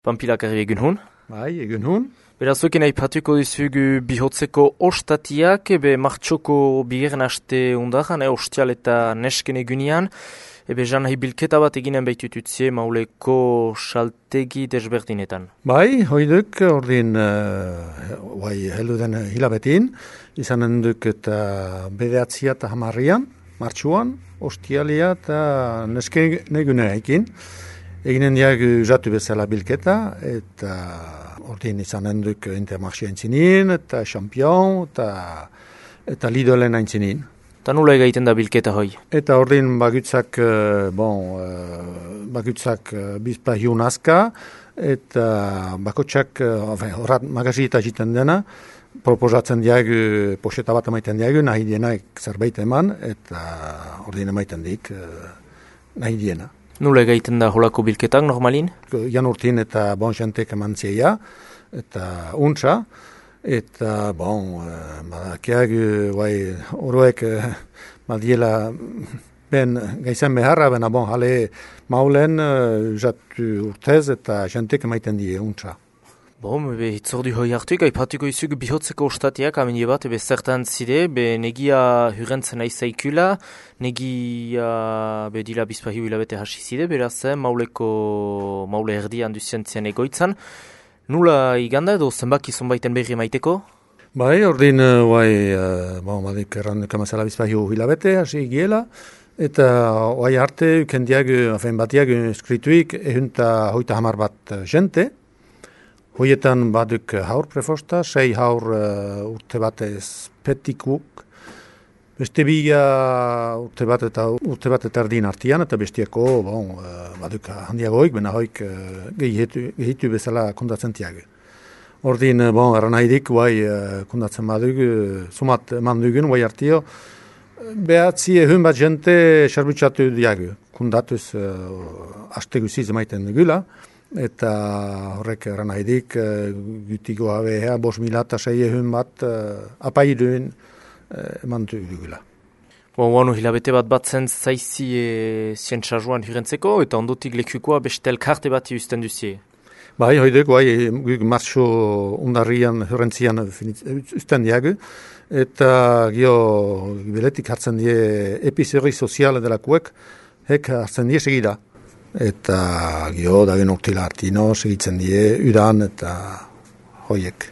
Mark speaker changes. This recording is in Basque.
Speaker 1: Pampilak egun hon.
Speaker 2: Bai, egun hon.
Speaker 1: Beraz, zuekin aipatuko dizugu bihotzeko ostatiak, martxoko bigarren aste undaran, ostial eta nesken egunean, jan nahi bilketa bat eginen behitututzie Mauleko saltegi desberdinetan.
Speaker 2: Bai, hoiduk, ordin, heldu den hilabetin, izanen duk eta bedeatzia eta hamarrian, martxuan, ostialia eta nesken egunea ekin. Eginen diag jatu bezala bilketa, eta ordin izanen duk Intermarché aintzinin, eta Champion, eta Lidlen aintzinin.
Speaker 1: Eta nula egiten da bilketa hoi?
Speaker 2: Eta ordin bagutzak bizpahiun aska, eta bakotsak horat magazita jiten dena, proposatzen diag poxeta bat emaiten diag, nahi dienak zerbait eman, eta ordin emaiten dik nahi diena.
Speaker 1: Nula egiten da holako bilketak normalin?
Speaker 2: Jan urtin eta jentek eman zeia, eta untsa, eta badakiak oroek badiela ben gaizan beharra, bena jale maulen jatu urtez eta jentek emaiten die untsa.
Speaker 1: Hitzordu hoi hartuik, aipatuko izuk bihotzeko ostatiak, amine bat, zertan zide, negia hurrentzen aizaikula, negia dila bizpahiu hilabete hasi zide, beraz, maule erdian duzientzien egoitzan. Nula iganda edo zenbaki zonbaiten berri maiteko?
Speaker 2: Bai, ordin, badik erran kamazala bizpahiu hilabete hasi giela, eta arte, ukendiag, batiag, eskrituik, ehunta hoita hamar bat jente. Hoietan baduk haur prefosta, 6 haur urte batez petikuk, beste bila urte bat eta erdin artian, eta bestiako baduk handiagoik, bena hoik gehitu bezala kondatzen tiag. Ordin, erran haidik, kondatzen baduk, sumat eman dugun, artio, behatzi ehun bat jente xerbutsatu diag, kondatuz aste guziz emaiten dugula, eta horrek erran haidik, gutiko abea, 5.000 eta 6.000 bat apaiduen eman dugula.
Speaker 1: Oanu hilabete batzen zaizi zientxaruan hirentzeko, eta ondotik lekukoa beste elkarte bat usten duzie?
Speaker 2: Bai, hoidek, martxo undarrian hirentzian usten diagu, eta beletik hartzen die epizerri soziale delakuek, hek hartzen die segida. Eta dagen urtila hartino segitzen die udan eta hoiek.